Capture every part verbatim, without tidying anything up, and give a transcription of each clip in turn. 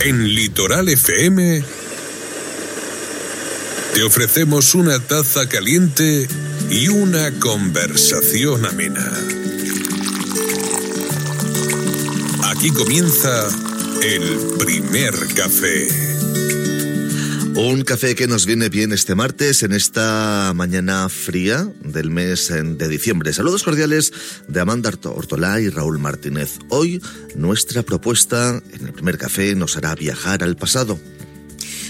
En Litoral F M te ofrecemos una taza caliente y una conversación amena. Aquí comienza el primer café. Un café que nos viene bien este martes, en esta mañana fría del mes de diciembre. Saludos cordiales de Amanda Ortolá y Raúl Martínez. Hoy nuestra propuesta en el primer café nos hará viajar al pasado.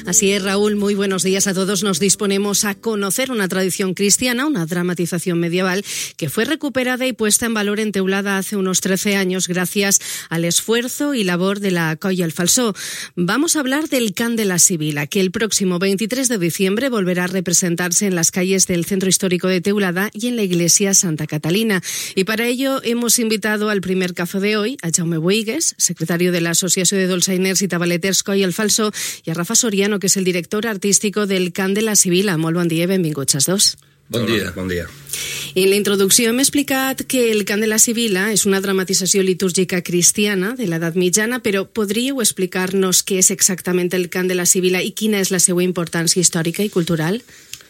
Así es, Raúl, muy buenos días a todos. Nos disponemos a conocer una tradición cristiana, una dramatización medieval que fue recuperada y puesta en valor en Teulada hace unos trece años gracias al esfuerzo y labor de la Colla El Falsó. Vamos a hablar del Cant de la Sibila, que el próximo veintitrés de diciembre volverá a representarse en las calles del Centro Histórico de Teulada y en la iglesia Santa Catalina. Y para ello hemos invitado al primer café de hoy a Jaume Boigues, secretario de la Asociación de Dolçainers y Tabaleters Colla El Falsó, y a Rafa Soriano, que és el director artístico del Cant de la Sibila. Molt bon dia i benvinguts els dos. Bon dia. Bon dia. En la introducció hem explicat que el Cant de la Sibila és una dramatització litúrgica cristiana de l'edat mitjana, però podríeu explicar-nos què és exactament el Cant de la Sibila i quina és la seva importància històrica i cultural?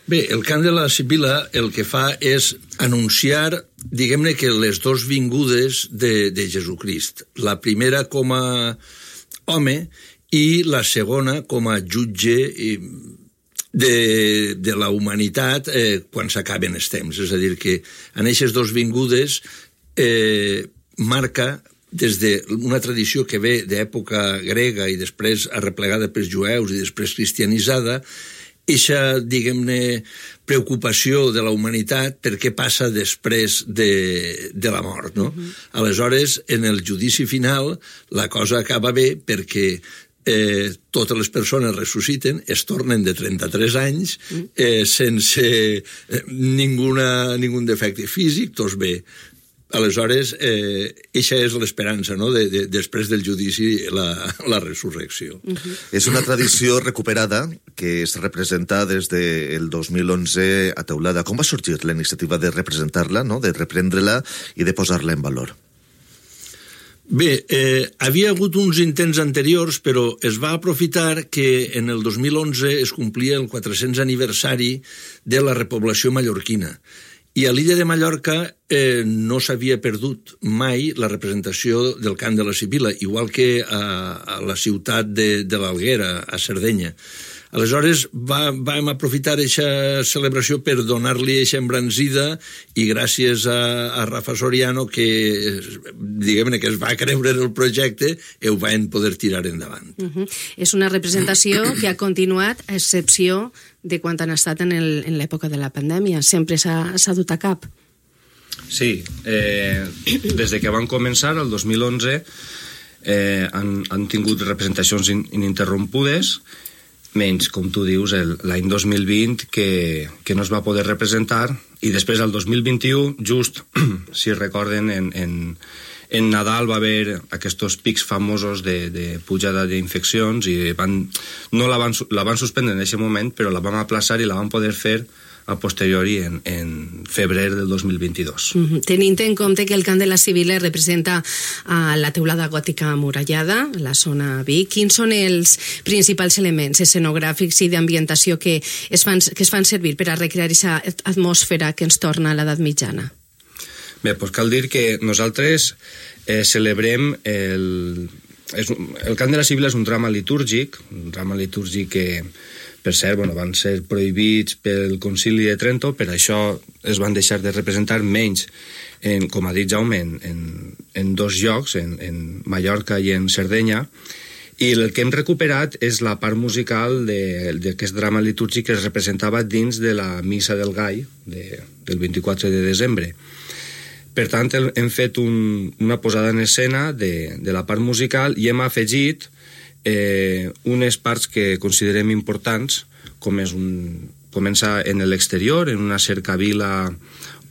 Bé, el Cant de la Sibila el que fa és anunciar, diguem-ne que les dos vingudes de, de Jesucrist. La primera com a home i la segona com a jutge de, de la humanitat eh, quan s'acaben els temps. És a dir, que en aquestes dos vingudes eh, marca des d'una tradició que ve d'època grega i després arreplegada pels jueus i després cristianitzada, eixa, diguem-ne, preocupació de la humanitat per què passa després de, de la mort, no? Uh-huh. Aleshores, en el judici final, la cosa acaba bé perquè Eh, totes les persones ressusciten, es tornen de trenta-tres anys, eh, sense eh, ninguna, ningun defecte físic, tots bé. Aleshores, eh, eixa és l'esperança, no?, de, de, després del judici, la, la resurrecció. Uh-huh. És una tradició recuperada que es representa des del dos mil onze a Teulada. Com va sorgir la iniciativa de representar-la, no?, de reprendre-la i de posar-la en valor? Bé, eh, havia hagut uns intents anteriors, però es va aprofitar que en el dos mil onze es complia el quatre-cents aniversari de la repoblació mallorquina. I a l'illa de Mallorca eh, no s'havia perdut mai la representació del Cant de la Sibila, igual que a, a la ciutat de, de l'Alguera, a Sardenya. Aleshores va, vam aprofitar aquesta celebració per donar-li aquesta embranzida i gràcies a, a Rafa Soriano, que diguem-ne que es va creure en el projecte, ho van poder tirar endavant. Uh-huh. És una representació que ha continuat a excepció de quan han estat en, el, en l'època de la pandèmia. Sempre s'ha, s'ha dut a cap. Sí, eh, des de que van començar, el dos mil onze, eh, han, han tingut representacions in, ininterrompudes, menys, com tu dius, el, l'any dos mil vint, que, que no es va poder representar, i després, el dos mil vint-i-u, just, si recorden, en, en, en Nadal va haver aquests pics famosos de, de pujada d'infeccions i van, no la van, la van suspendre en aquest moment, però la vam aplaçar i la vam poder fer a posteriori en, en febrer del dos mil vint-i-dos. Mm-hmm. Tenint en compte que el Cant de la Sibila representa a la teulada gòtica amurallada, la zona Vic, quins són els principals elements escenogràfics i d'ambientació que es fan, que es fan servir per a recrear aquesta atmosfera que ens torna a l'edat mitjana? Bé, doncs cal dir que nosaltres eh, celebrem el, és, el Cant de la Sibila és un drama litúrgic, un drama litúrgic que, per cert, bueno, van ser prohibits pel Concili de Trento, per això es van deixar de representar menys, en, com ha dit Jaume, en, en, en dos llocs, en, en Mallorca i en Sardenya, i el que hem recuperat és la part musical de, d'aquest drama litúrgic que es representava dins de la Missa del Gall de, del vint-i-quatre de desembre. Per tant, hem fet un, una posada en escena de, de la part musical i hem afegit eh, unes parts que considerem importants, com és un, començar en l'exterior, en una cercavila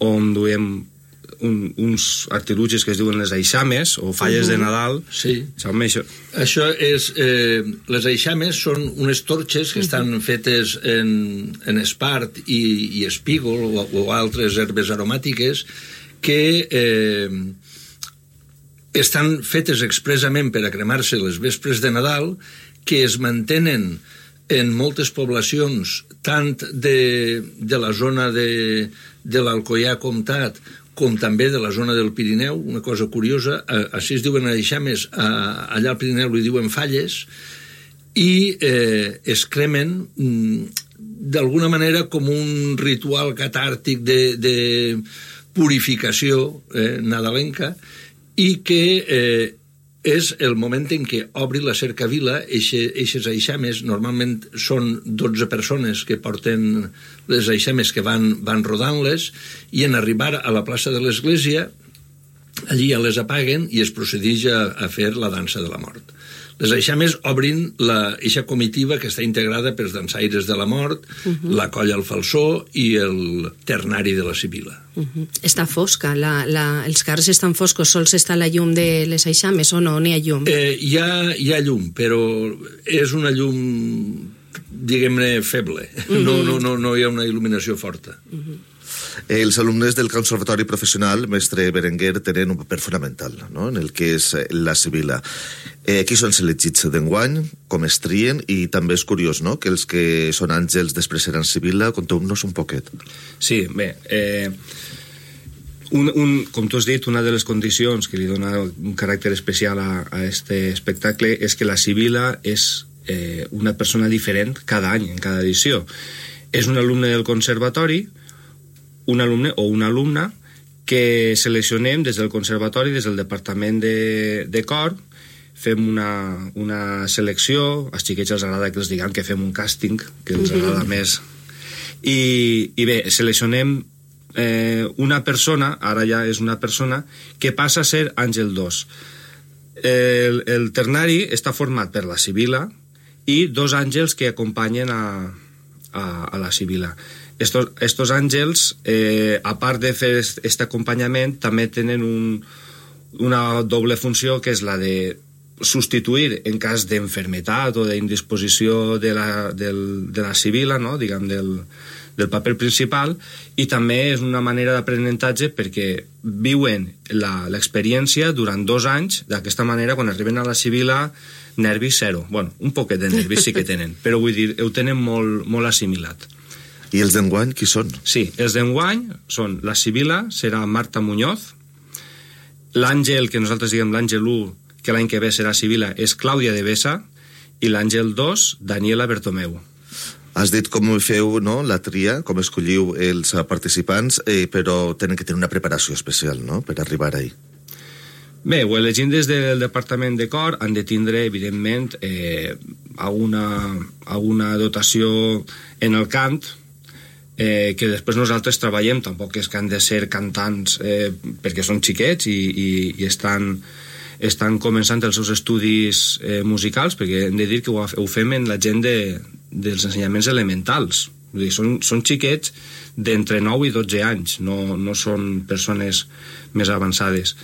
on duem un, uns artilugis que es diuen les eixames o falles uh-huh. de Nadal. Sí. Jaume, això... Això és... Eh, les eixames són unes torxes que uh-huh. estan fetes en, en espart i, i espígol o, o altres herbes aromàtiques que eh, estan fetes expressament per a cremar-se les vespres de Nadal, que es mantenen en moltes poblacions, tant de, de la zona de, de l'Alcoià Comtat, com també de la zona del Pirineu. Una cosa curiosa, així es diuen eixames, allà al Pirineu li diuen falles, i eh, es cremen d'alguna manera com un ritual catàrtic de, de purificació eh, nadalenca, i que eh, és el moment en què obri la cercavila. Eixes eixames normalment són dotze persones que porten les eixames, que van, van rodant-les, i en arribar a la plaça de l'església, allí ja les apaguen i es procedeix a, a fer la dansa de la mort. Les eixames obrin la eixa comitiva que està integrada pels dansaires de la mort, uh-huh. la colla al falsó i el ternari de la Sibila. Uh-huh. Està fosca, la, la, els carrers estan foscos, sols està la llum de les eixames o no, n'hi ha llum? Eh, hi, ha, hi ha llum, però és una llum, diguem-ne, feble. Uh-huh. No, no, no, no hi ha una il·luminació forta. Uh-huh. Els alumnes del Conservatori Professional, mestre Berenguer, tenen un paper fonamental, no?, en el que és la Sibila. Eh, qui són elegits d'enguany, com es trien, i també és curiós, no?, que els que són àngels després seran Sibila. Conteu-nos un poquet. Sí, bé, eh, un, un, com tu has dit, una de les condicions que li dona un caràcter especial a, a este espectacle és que la Sibila és eh, una persona diferent cada any, en cada edició. És un alumne del conservatori, un alumne o una alumna que seleccionem des del conservatori, des del departament de, de cor, fem una, una selecció, als xiquets els agrada que els diguem que fem un càsting, que els agrada més, i, i bé, seleccionem eh, una persona, ara ja és una persona, que passa a ser àngel dos. El, el ternari està format per la Sibila i dos àngels que acompanyen a, a, a la Sibila. Estos, estos àngels, eh, a part de fer aquest acompanyament, també tenen un, una doble funció, que és la de substituir en cas d'enfermetat o d'indisposició de la, del, de la Sibila, no?, diguem, del, del paper principal, i també és una manera d'aprenentatge perquè viuen l'experiència durant dos anys. D'aquesta manera, quan arriben a la Sibila, nervis zero. Bueno, un poquet de nervis sí que tenen, però vull dir, ho tenen molt, molt assimilat. I els d'enguany, qui són? Sí, els d'enguany són la Sibila, serà Marta Muñoz, l'àngel, que nosaltres diguem l'àngel u, que l'any que ve serà Sibila, és Clàudia de Besa, i l'àngel dos, Daniela Bertomeu. Has dit com feu, no?, la tria, com escolliu els participants, eh, però tenen que tenir una preparació especial, no?, per arribar ahí. Bé, ho elegim des del departament de cor, han de tindre, evidentment, eh, alguna, alguna dotació en el cant, eh, que després nosaltres treballem, tampoc és que han de ser cantants eh, perquè són xiquets i, i, i estan, estan començant els seus estudis eh, musicals, perquè hem de dir que ho, ho fem en la gent de, dels ensenyaments elementals. Vull dir, són, són xiquets d'entre nou i dotze anys, no, no són persones més avançades.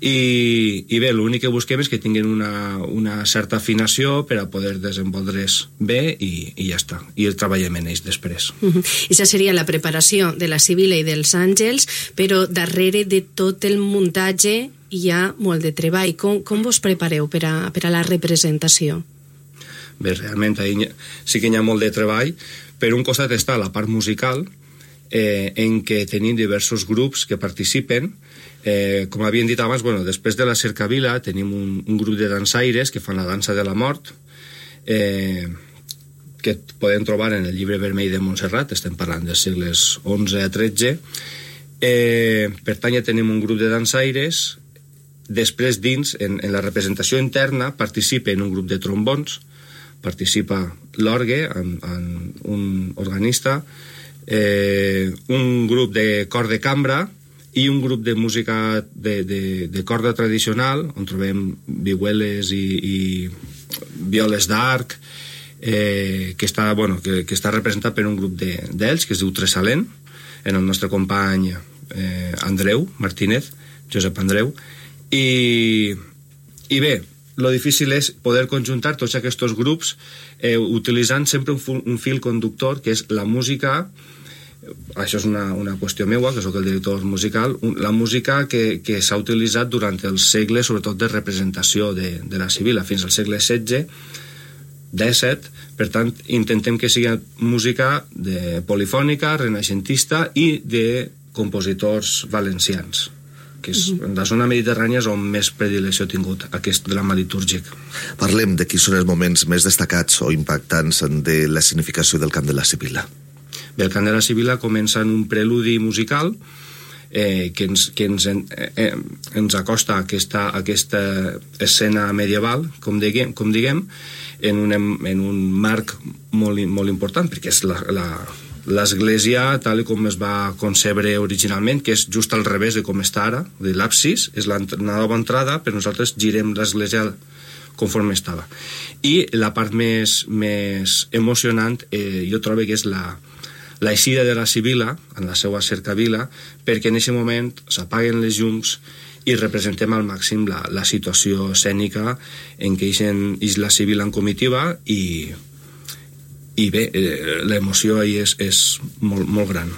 I, i bé, l'únic que busquem és que tinguin una, una certa afinació per a poder desenvolupar-les bé i, i ja està, i el treballem en ells després. Uh-huh. Aquesta seria la preparació de la Sibila i dels àngels, però darrere de tot el muntatge hi ha molt de treball. Com, com vos prepareu per a, per a la representació? Bé, realment ahí sí que hi ha molt de treball. Per un costat està la part musical, eh, en què tenim diversos grups que participen. Eh, com havien dit abans, bueno, després de la cercavila tenim un, un grup de dansaires que fan la dansa de la mort, eh, que podem trobar en el llibre vermell de Montserrat, estem parlant dels segles onze a tretze. Eh, per tant, ja tenim un grup de dansaires. Després, dins, en, en la representació interna, participa en un grup de trombons, participa l'orgue, en, en un organista, eh, un grup de cor de cambra, i un grup de música de, de, de corda tradicional, on trobem vihueles i, i violes d'arc, eh, que, està, bueno, que, que està representat per un grup d'ells, de, que es diu Tresalent, en el nostre company eh, Andreu Martínez, Josep Andreu, i, i bé, lo difícil és poder conjuntar tots aquests grups eh, utilitzant sempre un, un fil conductor, que és la música això és una, una qüestió meua, que sóc el director musical, la música que, que s'ha utilitzat durant el segle, sobretot de representació de, de la Sibila, fins al segle setze, disset, per tant, intentem que sigui música de polifònica, renaixentista i de compositors valencians, que és en la zona mediterrània és on més predilecció ha tingut aquest drama litúrgic. Parlem de quins són els moments més destacats o impactants de la significació del cant de la Sibila. Bé, el cant de la Sibila comença en un preludi musical eh, que, ens, que ens, eh, ens acosta a aquesta, a aquesta escena medieval, com diguem, com diguem en, un, en un marc molt, molt important, perquè és la, la, l'església tal com es va concebre originalment, que és just al revés de com està ara, de l'absis, és la nova entrada, però nosaltres girem l'església conforme estava. I la part més, més emocionant eh, jo trobo que és la l'eixida de la Sibila, en la seva cercavila, perquè en aquest moment s'apaguen les llums i representem al màxim la, la situació escènica en què és la Sibila en comitiva i, i bé, eh, l'emoció ahí és, és molt, molt gran.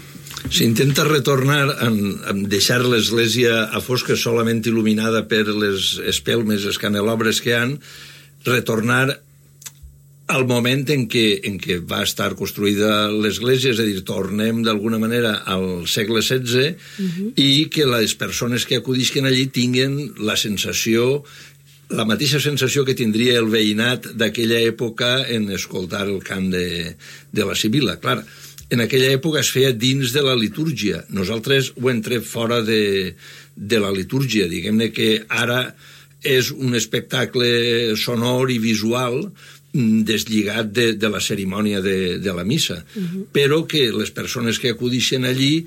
S'intenta retornar a, a deixar l'església a fosca solament il·luminada per les espelmes, els canelobres que han, retornar al moment en què, en què va estar construïda l'església, és a dir, tornem d'alguna manera al segle setze uh-huh. i que les persones que acudisquen allí tinguen la sensació, la mateixa sensació que tindria el veïnat d'aquella època en escoltar el cant de, de la Sibila. Clar, en aquella època es feia dins de la litúrgia. Nosaltres ho hem tret fora de, de la litúrgia. Diguem-ne que ara és un espectacle sonor i visual deslligat de, de la cerimònia de, de la missa, uh-huh. però que les persones que acudixen allí,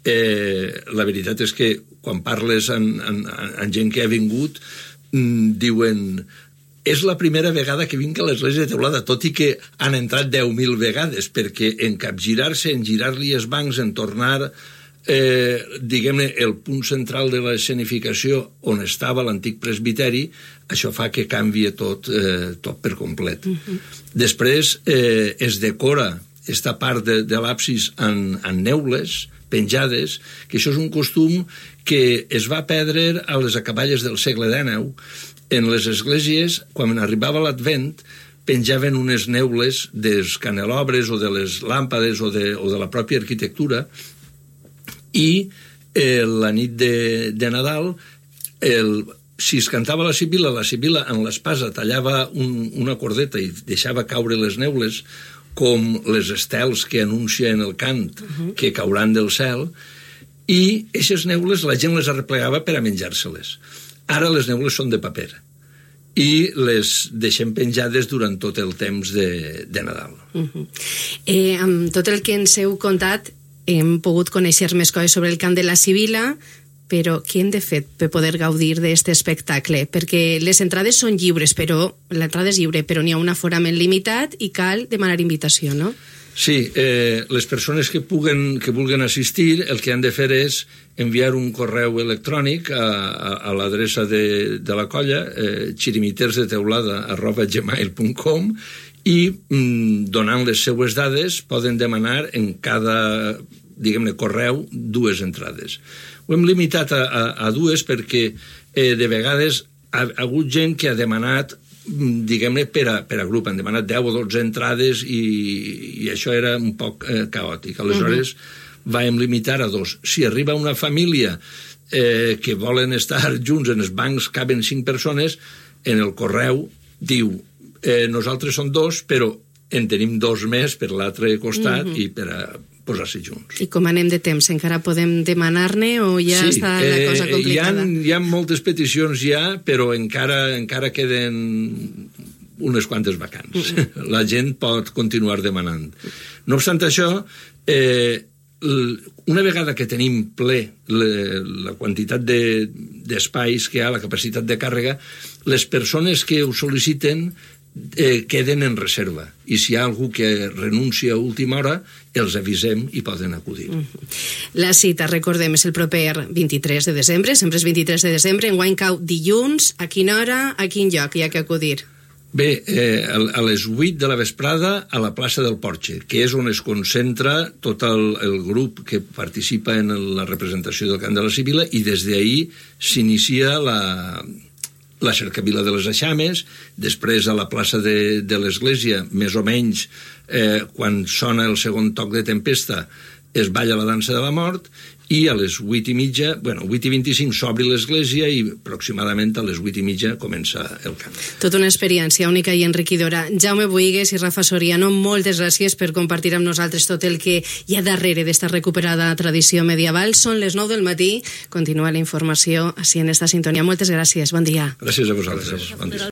eh, la veritat és que quan parles amb, amb, amb gent que ha vingut, mm, diuen és la primera vegada que vinc a l'església de Teulada, tot i que han entrat deu mil vegades, perquè en capgirar-se, en girar-li els bancs, en tornar eh, diguem-ne, el punt central de l'escenificació on estava l'antic presbiteri, això fa que canvia tot, eh, tot per complet. Uh-huh. Després eh, es decora esta part de, de l'absis en, en neules penjades, que això és un costum que es va perdre a les acaballes del segle dinou. En les esglésies, quan arribava l'Advent, penjaven unes neules dels canelobres o de les làmpades o de, o de la pròpia arquitectura, i eh, la nit de, de Nadal el, si es cantava la Sibila, la Sibila en l'espasa tallava un, una cordeta i deixava caure les neules com les estels que anuncien el cant uh-huh. que cauran del cel, i aquestes neules la gent les arreplegava per a menjar-se-les. Ara les neules són de paper i les deixem penjades durant tot el temps de, de Nadal. Uh-huh. eh, amb tot el que ens heu contat hem pogut conèixer més coses sobre el cant de la Sibila, però què hem de fer per poder gaudir d'aquest espectacle? Perquè les entrades són lliures, però l'entrada és lliure, però n'hi ha un aforament limitat i cal demanar invitació, no? Sí, eh, les persones que puguen, que vulguen assistir, el que han de fer és enviar un correu electrònic a, a, a l'adreça de, de la colla, eh, xirimitersdeteulada arroba gmail punt com, i mm, donant les seues dades poden demanar en cada, diguem-ne, correu dues entrades. Ho hem limitat a, a, a dues perquè eh, de vegades ha, ha hagut gent que ha demanat, diguem-ne, per a, per a grup, han demanat deu o dotze entrades i, i això era un poc eh, caòtic. Aleshores uh-huh. vam limitar a dos. Si arriba una família eh, que volen estar junts, en els bancs caben cinc persones, en el correu diu Eh, nosaltres som dos, però en tenim dos més per l'altre costat uh-huh. i per a posar-se junts. I com anem de temps? Encara podem demanar-ne o ja sí, està la cosa complicada? Hi ha, hi ha moltes peticions ja, però encara, encara queden unes quantes vacants. Uh-huh. La gent pot continuar demanant. No obstant això, eh, una vegada que tenim ple la quantitat de, d'espais que hi ha, la capacitat de càrrega, les persones que ho sol·liciten eh, queden en reserva. I si hi ha algú que renuncia a última hora, els avisem i poden acudir. Uh-huh. La cita, recordem, és el proper vint-i-tres de desembre, sempre és vint-i-tres de desembre, enguany cau dilluns, a quina hora, a quin lloc hi ha que acudir? Bé, eh, a les vuit de la vesprada a la plaça del Porxe, que és on es concentra tot el, el grup que participa en la representació del cant de la Sibila, i des d'ahir s'inicia la, la cercavila de les Eixames. Després a la plaça de, de l'Església, més o menys, eh, quan sona el segon toc de tempesta, es balla la dansa de la mort, i a les vuit i mitja, bueno, vuit i vint-i-cinc s'obri l'església i aproximadament a les vuit i mitja comença el cant. Tota una experiència única i enriquidora. Jaume Boigues i Rafa Soriano, moltes gràcies per compartir amb nosaltres tot el que hi ha darrere d'esta recuperada tradició medieval. Són les nou del matí, continua la informació així en esta sintonia. Moltes gràcies, bon dia. Gràcies a vosaltres, bon dia.